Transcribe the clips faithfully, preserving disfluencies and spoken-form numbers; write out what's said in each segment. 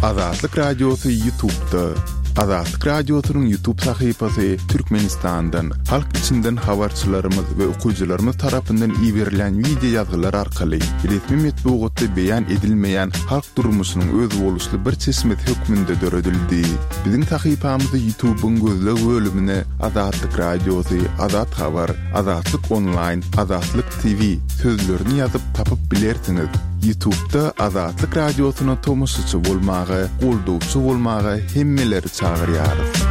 Azatlyk Radiosy YouTube'da. Azatlyk Radiosynyň YouTube sahypasy Türkmenistandan, halk içinden habarçylarymyz we okyjylarymyz tarapyndan iberilen wideo ýazgylar arkaly resmi metbugatda beýan edilmeýän halk durmuşynyň özboluşly bir çeşmesi hökmünde döredildi. Biziň sahypamyzy YouTube'yň gözleg bölümine Azatlyk Radiosy, Azat Habar, Azatlyk Online, Azatlyk T V sözlerini ýazyp tapyp bilersiňiz. YouTube'da Azatlyk Radiosyna tomaşaçy bolmaga, goldawçy bolmaga hemmeleri çagyrýarys.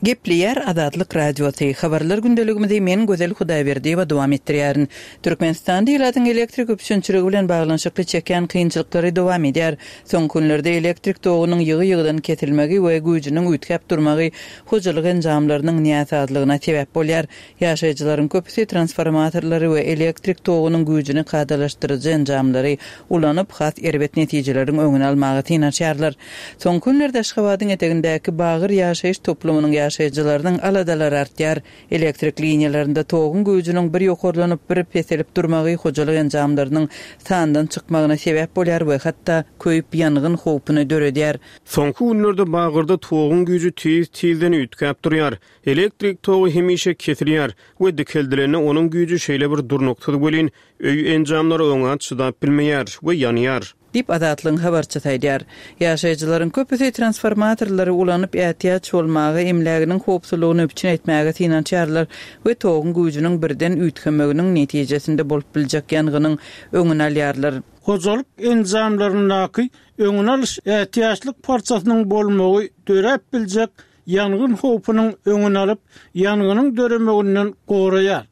Gepleýär Azatlyk Radiosy. Habarlar gündeligimizi men Gözel Hudaýberdiýewa dowam etdirýärin. Türkmenistanda ilatyň elektrik üpjünçiligi bilen baglanyşykly çekýän kynçylyklary dowam edýär. Soňky günlerde elektrik togunyň ýygy-ýygydan kesilmegi we güýjüniň üýtgäp durmagy hojalyk enjamlarynyň näsazlygyna sebäp bolýar. Ýaşaýjylaryň köpüsi transformatorlary we elektrik togunyň güýjüni kadalaşdyryjy enjamlary ulanyp, has erbet netijeleriň öňüni almaga synanyşýarlar. Soňky günlerde Aşgabadyň etegindäki Bagyr ýaşaýyş toplumynyň ýaşaýjylarynyň aladalary artýar. Elektrik liniýalarynda toguň güýjüniň bir ýokarlanyp, bir peselip durmagy hojalyk enjamlarynyň sandan çykmagyna sebäp bolýar we hatda köýüp ýangyn howpuny döredýär. Soňky günlerde Bagyrda toguň güýji tiz-tizden üýtgäp durýar. Elektrik togy hemişe kesilýär we dikeldilende onuň güýji şeýle bir durnuksyz welin, öý enjamlary oňa çydap bilmeýär we ýanýar. Diýip Azatlygyň habarçysy aýdýar. Ýaşaýjylaryň köpüsi transformatorlary ulanyp ätiýaç bolmaga, emläginiň howpsuzlygyny üpjün etmäge synanyşýarlar we toguň güýjüniň birden üýtgemeginiň netijesinde bolup biljek ýangynyň öňüni alýarlar. Hojalyk enjamlaryndaky öňüni alyş ätiýaçlyk parçasynyň bolmagy döräp biljek ýangyn howpunyň öňüni alyp, ýangynyň döremeginden goraýar.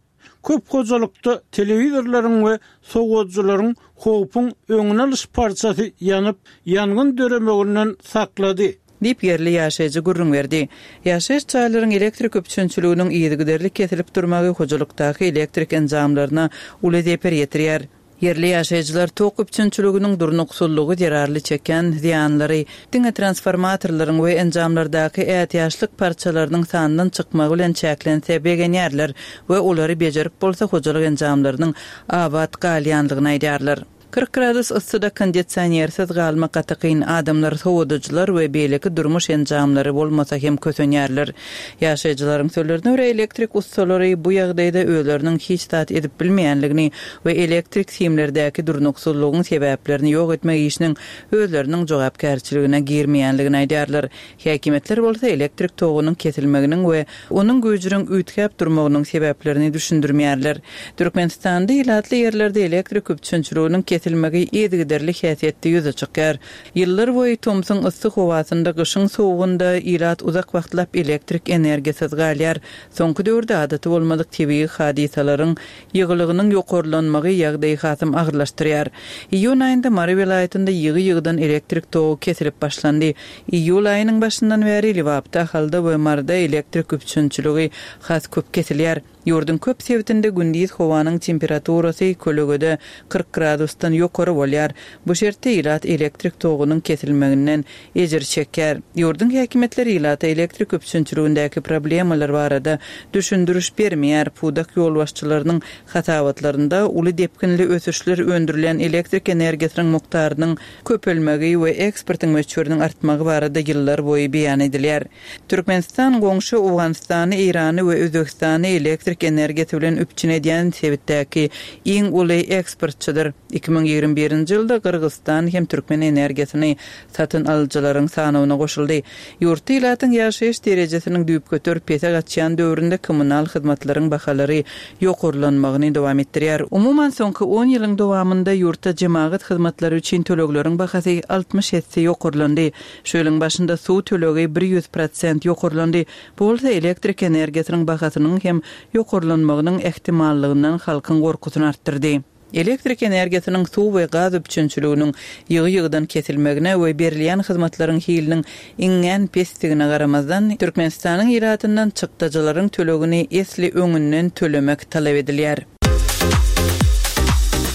Köp hojalykda telewizorlaryň we sowadyjylaryň howpuň öňüni alyş parçasy ýanyp, ýangyn döremeginden saklady. Diýip ýerli ýaşaýjy gürrüň berdi. Ýaşaýyş jaýlaryň elektrik üpjünçiliginiň yzygiderli kesilip durmagy hojalykdaky elektrik enjamlaryna uly zeper ýetirýär. Ýerli ýaşaýjylar tok üpjünçiliginiň durnuksyzlygy zerarly çeken zyýanlary diňe transformatorlaryň we enjamlardaky ätiýaçlyk parçalarynyň sandan çykmagy bilen çäklense begenýärler we olary bejerip bolsa hojalyk enjamlarynyň abat galýanlygyny aýdýarlar. kyrk gradus yssyda kondisionersiz galmak gaty kyn, adamlar sowadyjylar we beýleki durmuş enjamlary bolmasa hem kösenýärler. Ýaşaýjylaryň sözlerine görä, elektrik ussalary bu ýagdaýda özleriniň hiç zat edip bilmeýänligini we elektrik simlerdäki durnuksyzlygyň sebäplerini ýok etmek işiniň özleriniň jogapkärçiligine girmeýänligini aýdýarlar. Häkimiýetler bolsa elektrik togunyň kesilmeginiň we onuň güýjüniň üýtgäp durmagynyň sebäplerini düşündirmeýärler. Türkmenistanda ilatly ýerlerde elektrik üpjünçiliginiň kesilmegi yzygiderli häsiýetde ýüze çykýar. Ýyllar boýy tomsuň yssy howasynda, gyşyň sowugynda ilat uzak wagtlap elektrik energiýasyz galýar. Soňky döwürde adaty bolmadyk tebigy hadysalaryň ýygylygynyň ýokarlanmagy ýagdaýy hasam agyrlaşdyrýar. Iýun aýynda Mary welaýatynda ýygy-ýygydan elektrik togy kesilip başlandy. Iýul aýynyň başyndan bäri Lebapda, Ahalda we Maryda elektrik üpjünçiligi has köp kesilýär. Ýurduň köp sebitinde gündiz howanyň temperaturasy kölegede kyrk gradusdan ýokary bolýar. Bu şertde ilat elektrik togunyň kesilmeginden ejir çekýär. Ýurduň häkimiýetleri ilata elektrik üpjünçiligindäki problemalar barada düşündiriş bermeýär. Pudak ýolbaşçylarynyň hasabatlarynda uly depginli ösüşler öndürilen elektrik energiýasynyň mukdarynyň köpelmegi we eksportyň möçberiniň artmagy barada ýyllar boýy beýan edilýär. Türkmenistan goňşy Owganystany, Eýrany we Özbegistany elektrik energiýasy bilen üpjün edýän sebitdäki iň uly eksportçydyr. iki müň ýigrimi birinji ýylda Gyrgyzystan hem türkmen energiýasyny satyn alyjylaryň sanawyna goşuldy. Ýurtda ilatyň ýaşaýyş derejesiniň düýpgöter pese gaçýan döwründe kommunal hyzmatlaryň bahalary ýokarlanmagyny dowam etdirýär. Umuman, soňky on ýylyň dowamynda ýurtda jemagat hyzmatlary üçin tölegleriň bahasy altmyş esse ýokarlandy. Şu ýylyň başynda suw tölegi ýüz prosent ýokarlandy. Bu bolsa elektrik energiýasynyň bahasynyň hem ýokarlanmagynyň ähtimallygyndan halkyň gorkusyny artdyrdy. Elektrik energiýasynyň, suw we gaz üpjünçiliginiň ýygy-ýygydan kesilmegine we berilýän hyzmatlaryň hiliniň iňňän pesdigine garamazdan, Türkmenistanyň ilatyndan çykdajylaryň tölegini esli öňünden tölemek talap edilýär.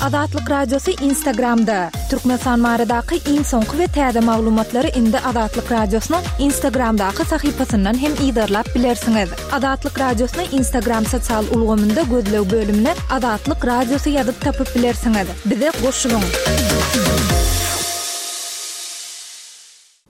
Azatlyk Radiosy Instagramda. Türkmenistan baradaky iň soňky we täze maglumatlary indi Azatlyk Radiosynyň Instagramdaky sahypasyndan hem yzarlap bilersiňiz. Azatlyk Radiosyny Instagram sosial ulgamynda gözleg bölümine Azatlyk Radiosy ýazyp tapyp bilersiňiz. Bize goşulyň.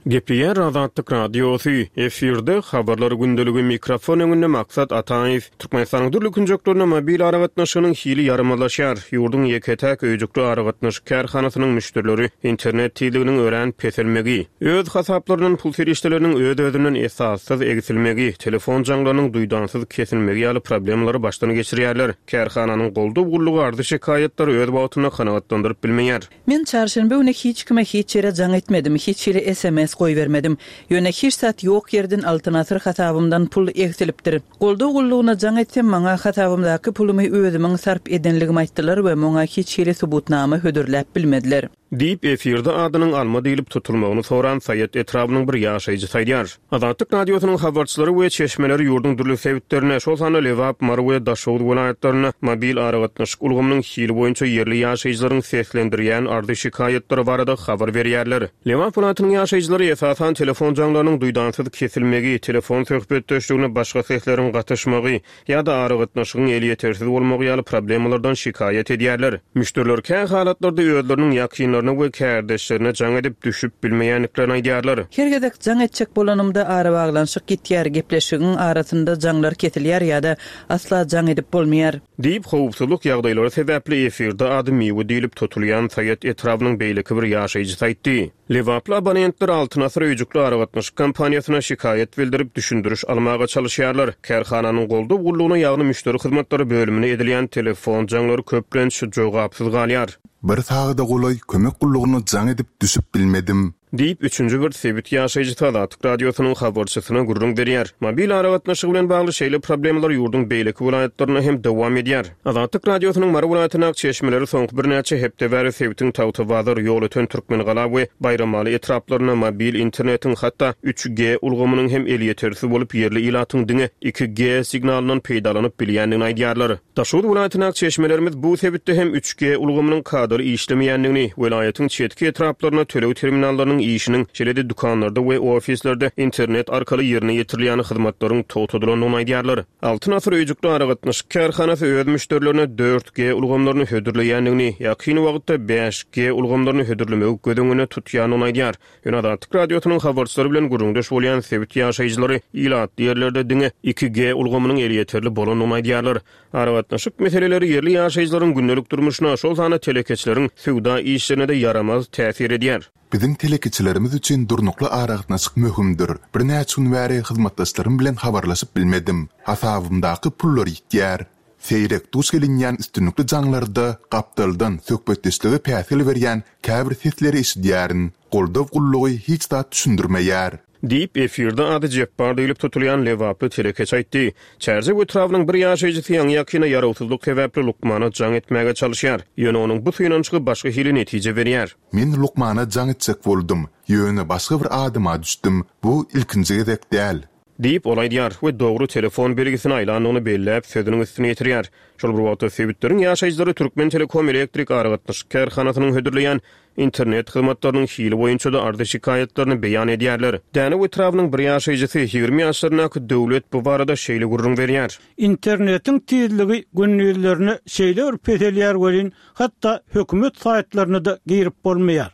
Gepleýär Azatlyk Radiosy, efirde habarlar gündeligi mikrofon öňünde Maksat Ataýew. Türkmenistanyň dürli künjeklerinde mobil aragatnaşygynyň hili ýaramazlaşýar. Ýurduň ýeke-täk öýjükli aragatnaşyk kärhanasynyň müşderileri internet tizliginiň örän peselmegi, öz hasaplaryndan pul serişdeleriniň öz-özünden esassyz egsilmegi, telefon jaňlarynyň duýdansyz kesilmegi ýaly problemalary başdan geçirýärler. Kärhananyň goldaw gullugy arzy şikaýatlary öz wagtynda kanagatlandyryp bilmeýär. Men çarşenbe güni hiç kime hiç ýere jaň etmedim, hiç hili S M S goýbermedim. Ýöne hiç zat ýok ýerden Altyn Asyr hasabymdan pul egsilipdir. Goldaw gullugyna jaň etsem, maňa hasabymdaky pulumy özümiň sarp edenligimi aýtdylar we muňa hiç hili subutnama hödürläp bilmediler. Diýip, efirde adynyň Alma diýlip tutulmagyny soran Saýat etrabynyň bir ýaşaýjysy aýdýar. Azatlyk Radiosynyň habarçylary we çeşmeleri ýurduň dürli sebitlerinde, şol sanda Lebap, Mary we Daşoguz welaýatlarynda mobil aragatnaşyk ulgamynyň hili boýunça ýerli ýaşaýjylaryň seslendirýän arzy şikaýatlary barada habar berýärler. Lebap welaýatynyň ýaşaýjylary esasan telefon jaňlarynyň duýdansyz kesilmegi, telefon söhbetdeşligine başga sesleriň gatyşmagy ýa-da aragatnaşygyň elýetersiz bolmagy ýaly problemalardan şikaýat edýärler. Müşderiler kä halatlarda özleriniň ýakynlaryna we kärdeşlerine jaň edip düşüp bilmeýändiklerini aýdýarlar. Her gezek jaň etjek bolanymda arabaglanyşyk gitýär, gepleşigiň arasynda jaňlar kesilýär ýa-da asla jaň edip bolmaýar. Diýip, howpsuzlyk ýagdaýlary sebäpli efirde ady Miwe diýlip tutulýan Saýat etrabynyň beýleki bir ýaşaýjysy aýtdy. Lebaply abonentler Altyn Asyr öýjükli aragatnaşyk kompaniýasyna şikaýat bildirip düşündiriş almaga çalışýarlar. Kärhananyň goldaw gullugyna, ýagny müşderi hyzmatlary bölümine edilýän telefon jaňlary köplenç jogapsyz galýar. Bir sagada golaý kömek gullugyna jaň edip düşüp bilmedim. Diýip, üçünji bir sebit ýaşaýjysy Azatlyk Radiosynyň habarçysyna gürrüň berýär. Mobil aragatnaşygy bilen bagly şeýle problemalar ýurduň beýleki welaýatlarynda hem dowam edýär. Azatlyk Radiosynyň Mary welaýatyndaky çeşmeleri soňky birnäçe hepde bäri sebitiň Tagtabazar, Ýolöten, Türkmengala we Baýramaly etraplarynda mobil internetiň hatda üç G ulgamynyň hem elýetersiz bolup, ýerli ilatyň diňe iki G signalyndan peýdalanyp bilýändigini aýdýarlar. Daşoguz welaýatyndaky çeşmelerimiz bu sebitde hem üç G ulgamynyň kadaly işlemeýändigini, welaýatyň çetki etraplarynda töleg terminallarynyň işiniň, şeýle-de dükanlarda we ofislerde internet arkaly ýerine ýetirilýän hyzmatlaryň togtadylandygyny aýdýarlar. Altyn Asyr öýjükli aragatnaşyk kärhanasy öz müşderilerine dört G ulgamlaryny hödürleýändigini, ýakyn wagtda bäş G ulgamlaryny hödürlemegi göz öňünde tutýandygyny aýdýar. Ýöne Azatlyk Radiosynyň habarçylary bilen gürrüňdeş bolýan sebit ýaşaýjylary ilatly ýerlerde diňe iki G ulgamynyň elýeterli bolandygyny aýdýarlar. Aragatnaşyk meseleleri ýerli ýaşaýjylaryň gündelik durmuşyna, şol sanda telekeçileriň söwda işlerine de ýaramaz täsir edýär. Biziň telekeçilerimiz üçin durnukly aragatnaşyk möhümdir. Birnäçe gün bäri hyzmatdaşlarym bilen habarlaşyp bilmedim. Hasabymdaky pullar ýitýär. Seýrek duş gelinýän üstünlikli jaňlarda gapdaldan söhbetdeşlige päsgel berýän käbir sesleri eşidýärin. Goldaw gullugy hiç zat düşündirmeýär. Diýip, efirde ady Jepbar diýlip tutulýan Lebaply telekeçi aýtdy. Çärjew etrabynyň bir ýaşaýjysy ýaňy ýakyna ýarawsyzlyk sebäpli lukmana jaň etmäge çalışýar. Ýöne onuň bu synanyşygy başga hili netije berýär. Men lukmana jaň etjek boldum. Ýöne başga bir adyma düşdüm. Bu ilkinji gezek däl. Diýip, ol aýdýar we dogry telefon belgisini aýlandygyny belläp sözüniň üstüne ýetirýär. Şol bir wagtda sebitleriň ýaşaýjylary Türkmen Telekom elektrik aragatnaşyk kärhanasynyň hödürleýän internet hyzmatlarynyň hili boýunça da arzy şikaýatlaryny beýan edýärler. Dänew etrabynyň bir ýaşaýjysy ýigrimi ýaşlaryndaky Döwlet bu barada şeýle gürrüň berýär. Internetiň tizligi gündizlerine şeýle bir peselýär welin, hatda hökümet saýtlaryna da girip bolmaýar.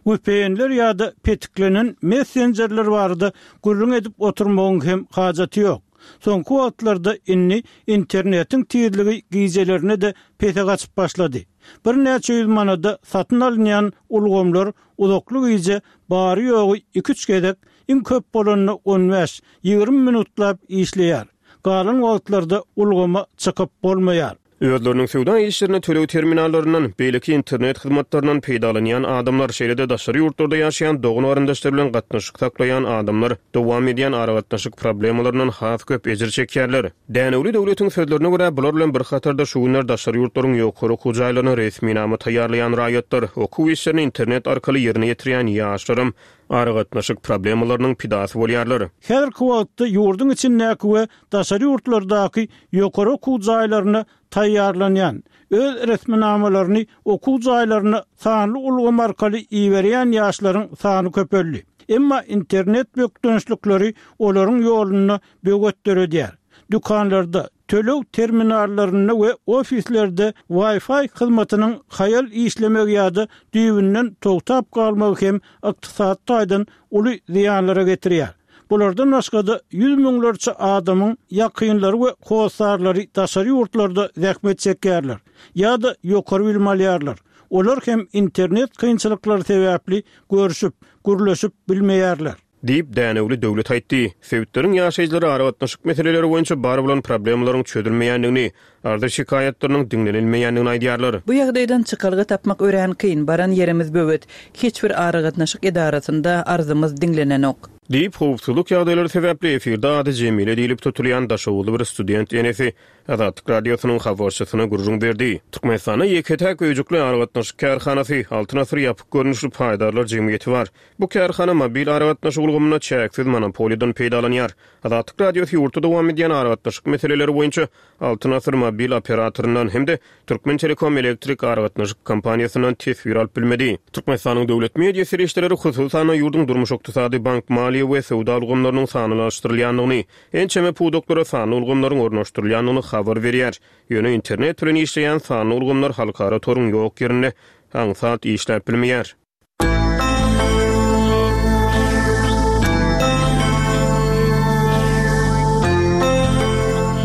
V P N'ler ýa-da petiklenen messenjerler barada gürrüň edip oturmagyň hem hajaty ýok. Soňky wagtlarda indi internetiň tizligi gijelerine de pese gaçyp başlady. Birnäçe ýüz manada satyn alynýan ulgamlar uzakly gije bary ýogy iki-üç gezek, iň köp bolanda on bäş, ýigrimi minutlap işleýär. Galan wagtlarda ulgama çykyp bolmaýar. Özleriniň söwda işlerine töleg terminallaryndan, beýleki internet hyzmatlaryndan peýdalanýan adamlar, şeýle-de daşary ýurtlarda ýaşaýan dogan garyndaşlar bilen gatnaşyk saklaýan adamlar dowam edýän aragatnaşyk problemalaryndan has köp ejir çekýärler. Dänewli Döwletiň sözlerine görä, bular bilen bir hatarda şu günler daşary ýurtlaryň ýokary okuw jaýlaryna resminama taýýarlaýan raýatlar, okuw işlerini internet arkaly ýerine ýetirýän ýaşlaram aragatnaşyk problemalarynyň pidasy bolýarlar. Häzirki wagtda ýurduň içindäki we daşary ýurtlardaky ýokary okuw jaýlaryna taýýarlanýan, öz resminamalaryny okuw jaýlaryna sanly ulgam arkaly iberýän ýaşlaryň sany köpeldi. Emma internet bökdençlikleri olaryň ýolunda böwet döredýär. Dükanlarda, Töleg terminallarynda we ofislerde Wi-Fi hyzmatynyň haýal işlemegi ýa-da düýbünden togtap galmagy hem ykdysady taýdan uly zyýanlara getirýär. Bulardan başga-da ýüz müňlerçe adamyň ýakynlary we hossarlary daşary ýurtlarda zähmet çekýärler ýa-da ýokary bilim alýarlar. Olar hem internet kynçylyklary sebäpli görşüp, gürleşip bilmeýärler. Diýip, Dänewli Döwlet aýtdy. Sebitleriň ýaşaýjylary aragatnaşyk meseleleri boýunça bar bolan problemalaryň çözülmeýändigini, arza-şikaýatlarynyň diňlenilmeýändigini aýdýarlar. Bu ýagdaýdan çykalga tapmak örän kyn, baran ýerimiz böwet. Hiç bir aragatnaşyk edarasynda arzymyz diňlenenok. Diýip, howpsuzlyk ýagdaýlary sebäpli efirde ady Jemile diýlip tutulýan daşoguzly bir student enesi Azatlyk Radiosynyň habarçysyna gürrüň berdi. Türkmenistanda ýeke-täk öýjükli aragatnaşyk kärhanasy, Altyn asyr ýapyk görnüşli paýdarlar jemgyýeti bar. Bu kärhana mobil aragatnaşyk ulgamynda çäksiz monopoliýadan peýdalanýar. Azatlyk Radiosy ýurtda dowam edýän aragatnaşyk meseleleri boýunça Altyn asyr mobil operatoryndan hem-de Türkmentelekom elektrik aragatnaşyk kompaniýasyndan teswir alyp bilmedi. Türkmenistanyň döwlet media serişdeleri, hususan-da, ýurduň durmuş-ykdysady, bank-maliýe we söwda ulgamlarynyň sanlylaşdyrylýandygyny, ençeme pudaklara sanly ulgamlaryň ornaşdyrylýandygyny habar berýär. Ýöne internet bilen işleýän sanly ulgamlar halkara toruň ýok ýerinde aňsat işläp bilmeýär.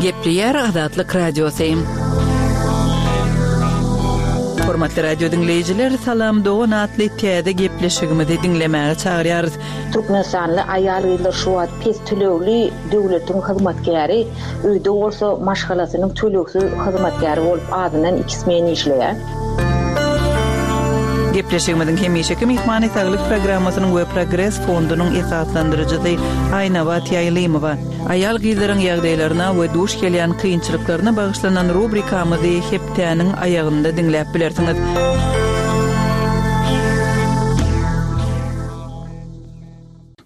Gepleýär Azatlyk Radiosy. Hormatly radio diňleýjiler, Salam dogan atly täze gepleşigimizi diňlemäge çagyrýarys. Türkmenistanly aýal-gyzlar şu wagt pes tölegli döwletiň hyzmatkäri, öýde bolsa maşgalasynyň tölegsiz hyzmatkäri bolup azyndan iki smen işleýär. Gepleşigimiziň hemişeki myhmany Saglyk programmasynyň we Progres fondunyň esaslandyryjysy Aýnabat Ýaýlymowa. Aýal-gyzlaryň ýagdaýlaryna we duş gelýän kynçylyklaryna bagyşlanan rubrikamyzy hepdäniň aýagynda diňläp bilersiňiz.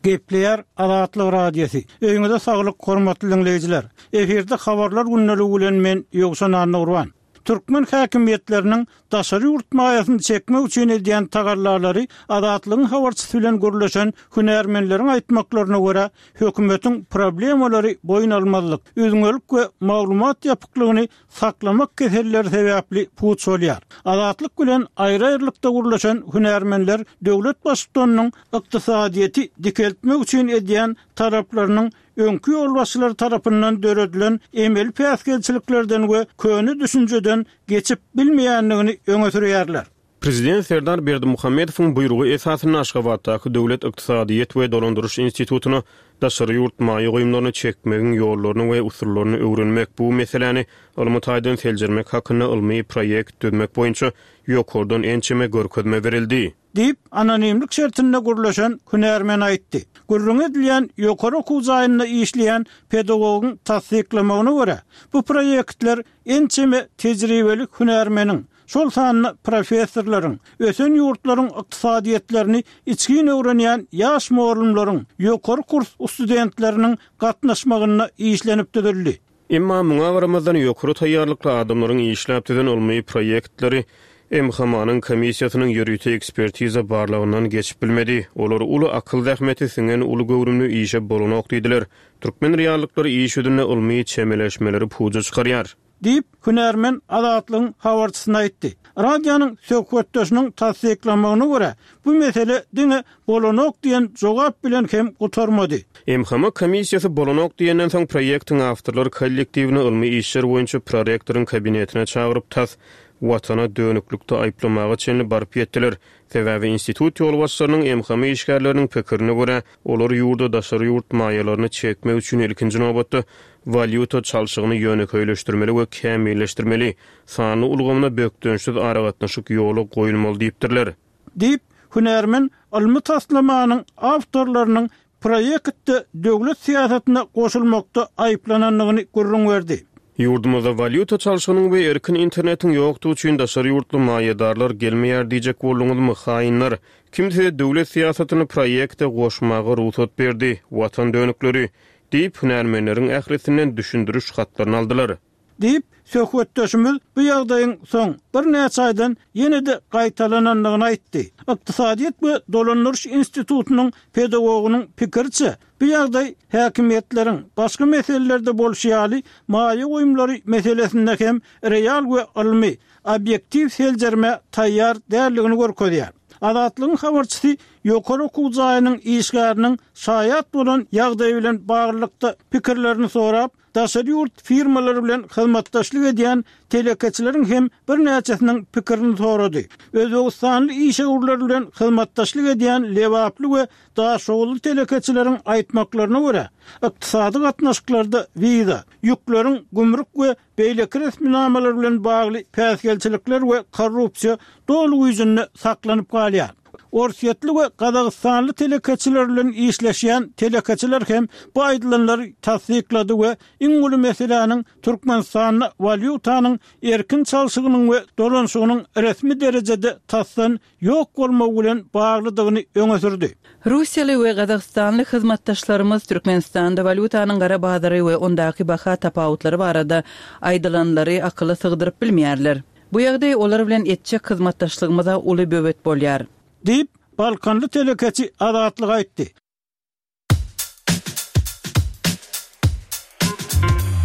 Gepleýär Azatlyk Radiosy. Öýüňize saglyk, hormatly diňleýjiler. Efirde habarlar gündeligi bilen men Ýowşan Annagurban. Türkmen häkimiýetleriniň daşary ýurt maýasyny çekmek üçin edýän tagallalary Azatlygyň habarçysy bilen gürleşen hünärmenleriň aýtmaklaryna görä, hökümetiň problemalary boýun almazlyk, üzňelik we maglumat ýapyklygyny saklamak keselleri sebäpli puç bolýar. Azatlyk bilen aýry-aýrylykda gürleşen hünärmenler döwlet baştutanynyň ykdysadyýeti dikeltmek üçin edýän talaplarynyň öňki ýolbaşçylar tarapyndan döredilen emeli päsgelçiliklerden we köne düşünjeden geçip bilmeýändigini öňe sürýärler. Prezident Serdar Berdimuhamedowyň buýrugy esasynda Aşgabatdaky Döwlet ykdysadyýet we dolandyryş institutyna daşary ýurt maýa goýumlaryny çekmegiň ýollaryny we usullaryny öwrenmek, bu meseläni ylmy taýdan seljermek hakynda ylmy proýekt düzmek boýunça ýokardan ençeme görkezme berildi. Diýip, anonimlik şertinde gürleşen hünärmen aýtdy. Gürrüňi edilýän ýokary okuw jaýynda işleýän pedagogyň tassyklamagyna görä, bu proýektler ençeme tejribeli hünärmeniň, şol sanda professorlaryň, ösen ýurtlaryň ykdysadyýetlerini içgin öwrenýän ýaş mugallymlaryň, ýokary kurs studentleriniň gatnaşmagynda işlenip düzüldi. Emma muňa garamazdan, ýokary taýýarlykly adamlaryň işläp düzen ylmy proýektleri M H M A-nyň komissiýasynyň ýörite ekspertiza barlagyndan geçip bilmedi. Olar uly akyl zähmeti siňen uly göwrümli işe bolanok diýdiler. Türkmen reallyklary iş ýüzünde ylmy çemeleşmeleri puja çykarýar. Diýip, hünärmen Azatlygyň habarçysyna aýtdy. Radionyň söhbetdeşiniň tassyklamagyna görä, bu mesele diňe bolanok diýen jogap bilen hem gutarmady. M H M A komissiýasy bolanok diýenden soň proýektiň awtorlar kollektiwini ylmy işler boýunça prorektoryň kabinetine çagyryp, tas Watana dönüklikde aýyplamaga çenli baryp ýetdiler. Sebäbi institut ýolbaşçylarynyň M H M işgärleriniň pikirine görä, olar ýurda daşary ýurt maýalaryny çekmek üçin ilkinji nobatda walýuta çalşygyny ýönekeýleşdirmeli we kämilleşdirmeli, sanly ulgamyna bökdençsiz aragatnaşyk ýola goýulmaly diýipdirler. Diýip, hünärmen ylmy taslamanyň awtorlarynyň proýektde döwlet syýasatyna goşulmakda aýyplanandygyny gürrüň berdi. Ýurdumyzda walýuta çalşygynyň we erkin internetiň ýokdugy üçin daşary ýurtly maýadarlar gelmeýär diýjek bolduňyzmy, haýynlar? Kim size döwlet syýasatyny proýekte goşmaga rugsat berdi, watan dönükleri? Diýip, hünärmenleriň ählisinden düşündiriş hatlaryny aldylar. Diýip, Söhbetdeşimiz bu ýagdaýyň soň birnäçe aýdan ýene-de gaýtalanandygyny aýtdy. Ykdysadyýet we dolandyryş institutynyň pedagogynyň pikiriçe, bu ýagdaý häkimiýetleriň başga meselelerde bolşy ýaly maýa goýumlary meselesinde hem real we ylmy, obýektiw seljermä taýýar däldigini görkezýär. Azatlygyň habarçysy ýokary okuw jaýynyň işgäriniň şaýat bolan ýagdaýy bilen baglylykda pikirlerini sorap, daşary ýurt firmalary bilen hyzmatdaşlyk edýän telekeçileriň hem birnäçesiniň pikirini sorady. Özbegistanly işewürler bilen hyzmatdaşlyk edýän lebaply we daşoguzly telekeçileriň aýtmaklaryna görä, ykdysady gatnaşyklarda wiza, ýükleriň gümrük we beýleki resminamalar bilen bagly päsgelçilikler we korrupsiýa doly güýjünde saklanyp galýar. Orsýetli we gazagystanly telekeçiler bilen işleşýän telekeçiler hem bu aýdylanlary tassyklady we iň uly meseläniň Türkmenistanda walýutanyň erkin çalşygynyň we dolanyşygynyň resmi derejede tasdan ýok bolmagy bilen baglydygyny öňe sürdi. Russiýaly we gazagystanly hyzmatdaşlarymyz Türkmenistanda walýutanyň gara bazary we ondaky baha tapawutlary barada aýdylanlary akyla sygdyryp bilmeýärler. Bu ýagdaý olar bilen etjek hyzmatdaşlygymyza uly böwet bolýar. Diýip, balkanly telekeçi Azatlyga aýtdy.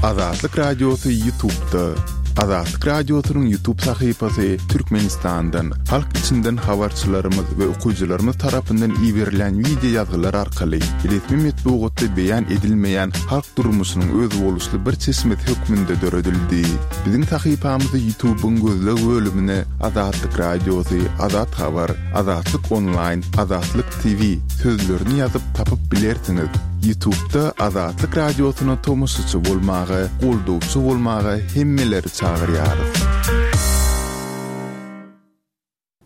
Azatlyk Radiosy YouTube'da. Azatlyk Radiosynyň YouTube sahypasy Türkmenistandan, halk içinden habarçylarymyz we okyjylarymyz tarapyndan iberilen wideo ýazgylar arkaly resmi metbugatda beýan edilmeýän halk durmuşynyň özboluşly bir çeşmesi hökmünde döredildi. Biziň sahypamyzy YouTube'yň gözleg bölümine Azatlyk Radiosy, Azat Habar, Azatlyk Online, Azatlyk T V sözlerini ýazyp tapyp bilersiňiz. YouTube'da Azatlyk Radiosyna tomaşaçy bolmaga, goldawçy bolmaga hemmeleri çagyrýarys.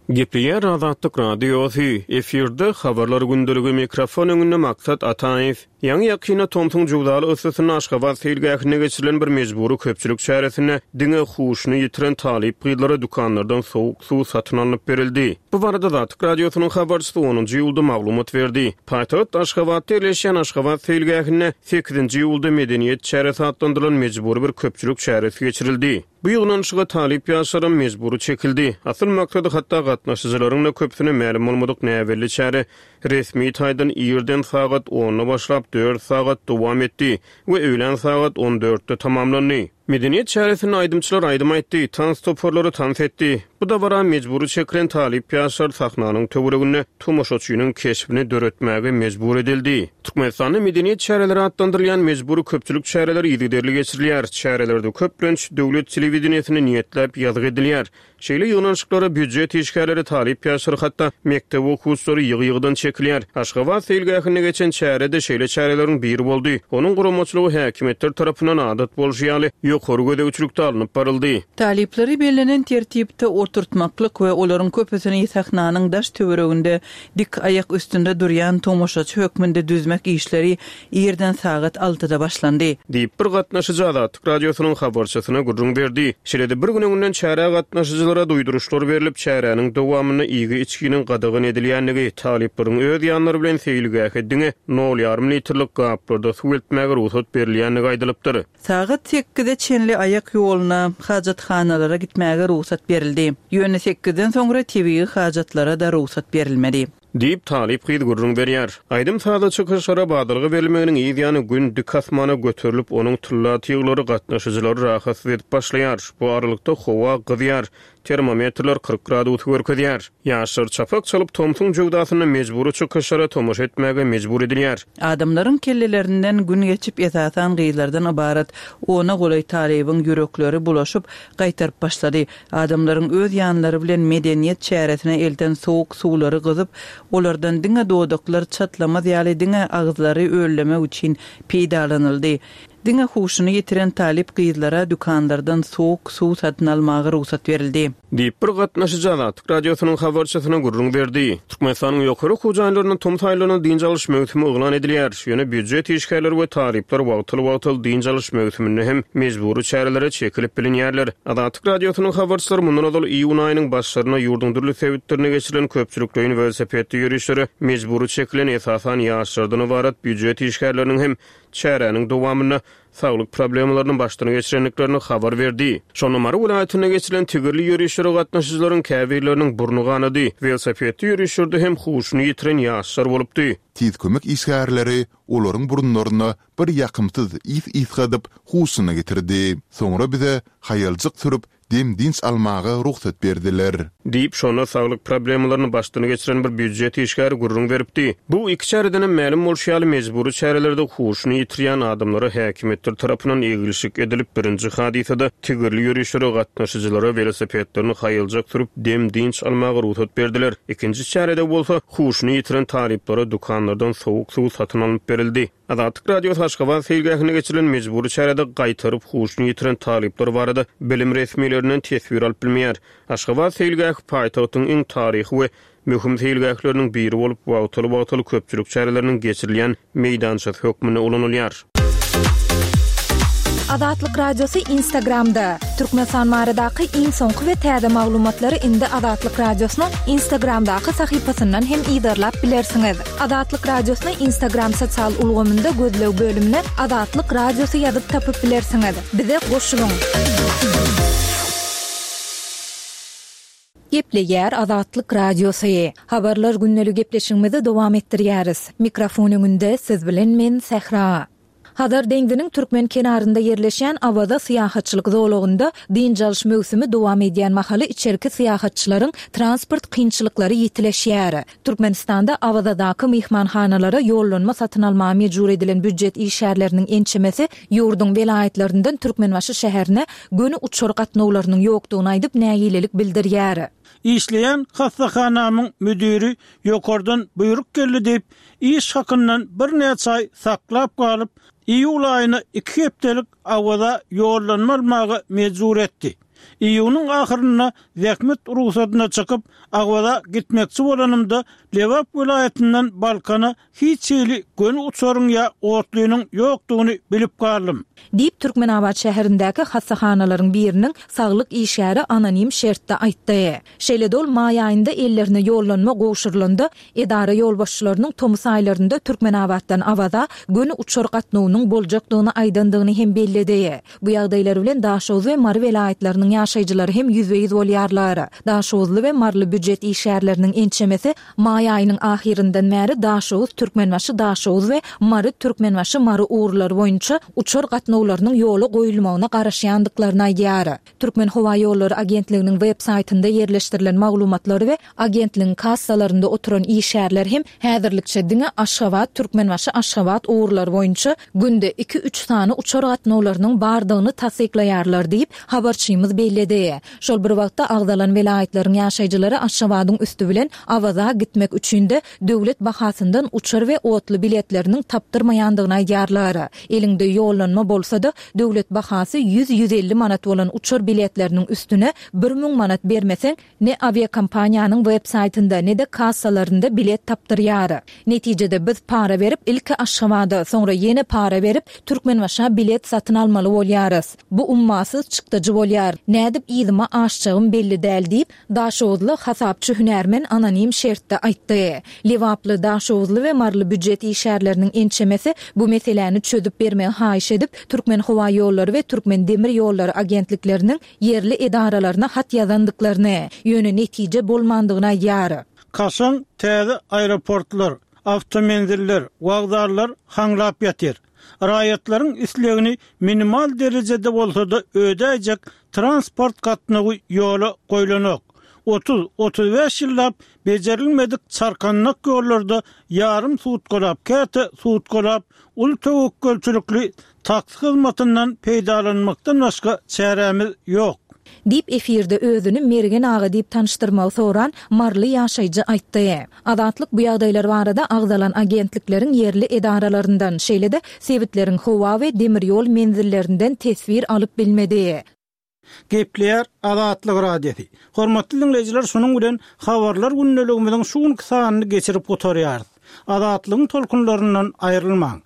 Gepleýär Azatlyk Radiosy, efirde habarlar gündeligi, mikrofon öňünde Maksat Ataýew. Ýaňy ýakynda tomsuň jöwzaly yssysynda Aşgabat seýilgähinde geçirilen bir mejbury köpçülik çäresinde diňe huşuny ýitiren talyp gyzlara dükanlardan sowuk suw satyn alnyp berildi. Bu barada Azatlyk Radiosynyň habarçysy onunjy iýulda maglumat berdi. Paýtagt Aşgabatda ýerleşýän Aşgabat seýilgähinde sekizinji iýulda medeniýet çäresi atlandyrylan mejbury bir köpçülik çäresi geçirildi. Bu ýygnanyşyga talyp ýaşlaram mejbury çekildi. Asyl maksady hatda gatnaşyjylaryň da köpüsine mälim bolmadyk näbelli çäre resmi taýdan irden sagat onda başlap dört sagat dowam etdi we öýlän sagat on dörtde tamamlandy. Medeniýet çäresinde aýdymçylar aýdym aýtdy, tans toparlary tans etdi. Bu dabara mejbury çekilen talyp ýaşlar sahnanyň töwereginde tomaşaçynyň keşbini döretmäge mejbur edildi. Türkmenistanda medeniýet çäreleri atlandyrylýan mejbury köpçülik çäreleri yzygiderli geçirilýär. Çärelerde köplenç döwlet telewideniýesine niýetläp ýazgy edilýär. Şeýle ýygnanyşyklara býujet işgärleri, talyp ýaşlar, hatda mekdep okuwçylary ýygy-ýygydan çekilýär. Aşgabat seýilgähinde geçen çärede şeýle çäreleriň biri boldy. Onuň guramaçylygy häkimiýetler tarapyndan adat bolşy ýaly ýokary gözegçilikde alnyp baryldy. Talyplary bellenen tertipde oturtmaklyk we olaryň köpüsini sahnanyň daş töwereginde dik aýak üstünde durýan tomaşaçy hökmünde düzmek işleri irden sagat altyda başlandy. Diýip bir gatnaşyjy Azatlyk Radiosynyň habarçysyna gürrüň berdi. Şeýle-de bir gün öňünden çärä gatnaşyjylara duýduryşlar berlip, çäräniň dowamynda iýgi içginiň gadagan edilýändigi, talyplaryň öz ýanlary bilen seýilgähe diňe nol ýarym litrlik gaplarda suw eltmäge rugsat berilýändigi aýdylypdyr. Sagat sekize çenli aýak ýoluna hajathanalara gitmäge rugsat berildi. Ýöne sekizden soňra tebigy hajatlara da rugsat berilmedi. Diýip talyp gyz gürrüň berýär. Aýdym sazly çykyşlara badalga berilmeginiň yz ýany gün dik asmana göterilip, onuň tylla tyglary gatnaşyjylary rahatsyz edip başlaýar. Bu aralykda howa gyzýar. Termometrler kyrk gradusy görkezýär. Ýaşlar çapak çalyp tomsuň jöwzasynda mejbury çykyşlara tomaşa etmäge mejbur edilýär. Adamlaryň kellelerinden gün geçip esasan gyzlardan ybarat ona golaý talybyň ýürekleri bulaşyp gaýtaryp başlady. Adamlaryň öz ýanlary bilen medeniýet çäresine elden sowuk suwlary gyzyp, olardan diňe dodaklar çatlamaz ýaly diňe agyzlary ölleme üçin peýdalanyldy. Diňe huşuny ýitiren talyp gyzlara dükanlardan sowuk suw satyn almaga rugsat berildi. Diýip bir gatnaşyjy Azatlyk Radiosynyň habarçysyna gürrüň berdi. Türkmenistanyň ýokary okuw jaýlarynda tomus aýlaryna dynç alyş möwsümi yglan edilýär. Ýöne býujet işgärleri we talyplar wagtal-wagtal dynç alyş möwsüminde hem mejbury çärelere çekilip bilinýärler. Azatlyk Radiosynyň habarçylary mundan ozal iýun aýynyň başlaryna ýurduň dürli sebitlerine geçirilen köpçülikleýin welosipedli ýörişlere mejbury çekilen esasan ýaşlardan ybarat býujet işgärleriniň hem çäräniň dowamynda saglyk problemalaryny başdan geçirendiklerini habar berdi. Şonda Mary welaýatynda geçirilen tigirli ýörişlere gatnaşyjylaryň käbirleriniň burny ganady. Welosipedli ýörişlerde hem huşuny ýitiren ýaşlar bolupdy. Tiz kömek işgärleri olaryň burunlaryna bir ýakymsyz ys ysgadyp, huşuna getirdi. Soňra bize haýaljyk sürüp, dem-dynç almaga rugsat berdiler. Diýip, şonda saglyk problemalaryny başdan geçiren bir býujet işgäri gürrüň beripdi. Bu iki çäreden hem mälim bolşy ýaly, mejbury çärelerde huşuny ýitirýän adamlara häkimiýetler tarapyndan egilşik edilip, birinji hadysada tigirli ýörişlere gatnaşyjylara welosipedlerini haýaljak sürüp, dem-dynç almaga rugsat berdiler. Ikinji çärede bolsa, huşuny ýitiren talyplara dükanlardan sowuk suw satyn alnyp berildi. Azatlyk Radiosy Aşgabat seýilgähinde geçirilen mejbury çärede gaýtaryp huşuny ýitiren talyplar barada bilim resmilerinden teswir alyp bilmeýär. Aşgabat seýilgähi paýtagtyň iň taryhy we möhüm seýilgähleriniň biri bolup, wagtal-wagtal köpçülik çäreleriniň geçirilýän meýdançasy hökmünde ulanylýar. Azatlyk Radiosy Instagramda. Türkmenistan baradaky iň soňky we täze maglumatlary indi Azatlyk Radiosynyň Instagramdaky sahypasyndan hem yzarlap bilersiňiz. Azatlyk Radiosyny Instagram sosial ulgamynda gözleg bölümine Azatlyk Radiosy ýazyp tapyp bilersiňiz. Bize goşulyň. Gepleýär Azatlyk Radiosy. Habarlar gündelik gepleşigimizi dowam etdirýäris. Mikrofon öňünde siz bilen men Sähra. Hazar deňziniň türkmen kenarynda ýerleşýän Awaza syýahatçylyk zolagynda dynç alyş möwsümi dowam edýän mahaly içerki syýahatçylaryň transport kynçylyklary ýitileşýär. Türkmenistanda Awazadaky myhmanhanalara ýollanma satyn almaga mejbur edilen býujet işgärleriniň ençemesi ýurduň welaýatlaryndan Türkmenbaşy şäherine göni uçar gatnawlarynyň ýokdugyny aýdyp nägilelik bildirýär. Işleýän hassahanamyň müdiri ýokardan buýruk geldi diýip, iş hakyndan birnäçe aý saklap galyp, iýul aýyna iki hepdelik Awaza ýollanma almaga mejbur etdi. Iýunyň ahyrynda zähmet rugsadyna çykyp, Awaza gitmekçi bolanymda, Lebap welaýatyndan Balkana hiç hili göni uçaryň ýa otlynyň ýokdugyny bilip galdym. Diýip, Türkmenabat şäherindäki hassahanalaryň biriniň saglyk işgäri anonim şertde aýtdy. Şeýle-de ol maý aýynda ellerine ýollanma gowşurylanda, edara ýolbaşçylarynyň tomus aýlarynda Türkmenabatdan Awaza göni uçar gatnawynyň boljakdygyny aýdandygyny hem belledi. Bu ýagdaýlar bilen Daşoguz we Mary welaýatlarynyň ýaşaýjylary hem ýüzbe-ýüz bolýarlar. Daşoguzly we maryly býujet işgärleriniň ençemesi maý aýynyň ahyryndan bäri Daşoguz, Türkmenbaşy, Daşoguz we Mary, Türkmenbaşy, Mary ugurlary boýunça uçar gatnawlarynyň ýola goýulmagyna garaşýandyklaryny aýdýar. Türkmenhowaýollary agentliginiň web saýtynda ýerleşdirilen maglumatlar we agentligiň kassalarynda oturan işgärler hem häzirlikçe diňe Aşgabat, Türkmenbaşy, Aşgabat ugurlary boýunça günde iki-üç sany uçar gatnawlarynyň bardygyny tassyklaýarlar diýip, habarçymyz belledi. Şol bir wagtda agzalan welaýatlaryň ýaşaýjylary Aşgabadyň üsti bilen Awaza gitmek üçin-de döwlet bahasyndan uçar we otly biletleriniň tapdyrmaýandygyny aýdýarlar. Eliňde ýollanma bolsa-da, döwlet bahasy ýüz-ýüz elli manat bolan uçar biletleriniň üstüne bir müň manat bermeseň, ne awiakompaniýanyň web saýtynda, ne-de kassalarynda bilet tapdyrýar. Netijede biz para berip, ilki Aşgabada, soňra ýene para berip, Türkmenbaşa bilet satyn almaly bolýarys. Bu ummasyz çykdajy bolýar. Nädip yzyma aşjagym belli däl diýip, daşoguzly hasapçy hünärmen anonim şertde aýtdy. Lebaply, daşoguzly we maryly býujet işgärleriniň ençemesi bu meseläni çözüp bermegi haýyş edip, Türkmenhowaýollary we Türkmendemirýollary agentlikleriniň ýerli edaralaryna hat ýazandyklaryny, ýöne netije bolmandygyny aýdýar. Kaşaň täze aeroportlar, awtomenziller, wokzallar haňlap ýatyr. Raýatlaryň islegini minimal derejede bolsa-da ödäýjek transport gatnawy ýola goýlanok. Otuz, otuz bäş ýyllap bejerilmedik çarkandak ýollarda ýarym sutkalap, käte sutkalap uly töwekgelçilikli taksi hyzmatyndan peýdalanmakdan başga çärämiz ýok. Diýip, efirde özüni Mergen aga diýip tanyşdyrmagy soran maryly ýaşaýjy aýtdy. Azatlyk bu ýagdaýlar barada agzalan agentlikleriň ýerli edaralaryndan, şeýle-de sebitleriň howa we demir ýol menzillerinden teswir alyp bilmedi. Gepleýär Azatlyk Radiosy. Hormatly diňleýjiler, şunuň bilen Habarlar gündeligimiziň şu günki sanyny geçirip gutarýarys. Azatlygyň tolkunlaryndan aýrylmaň!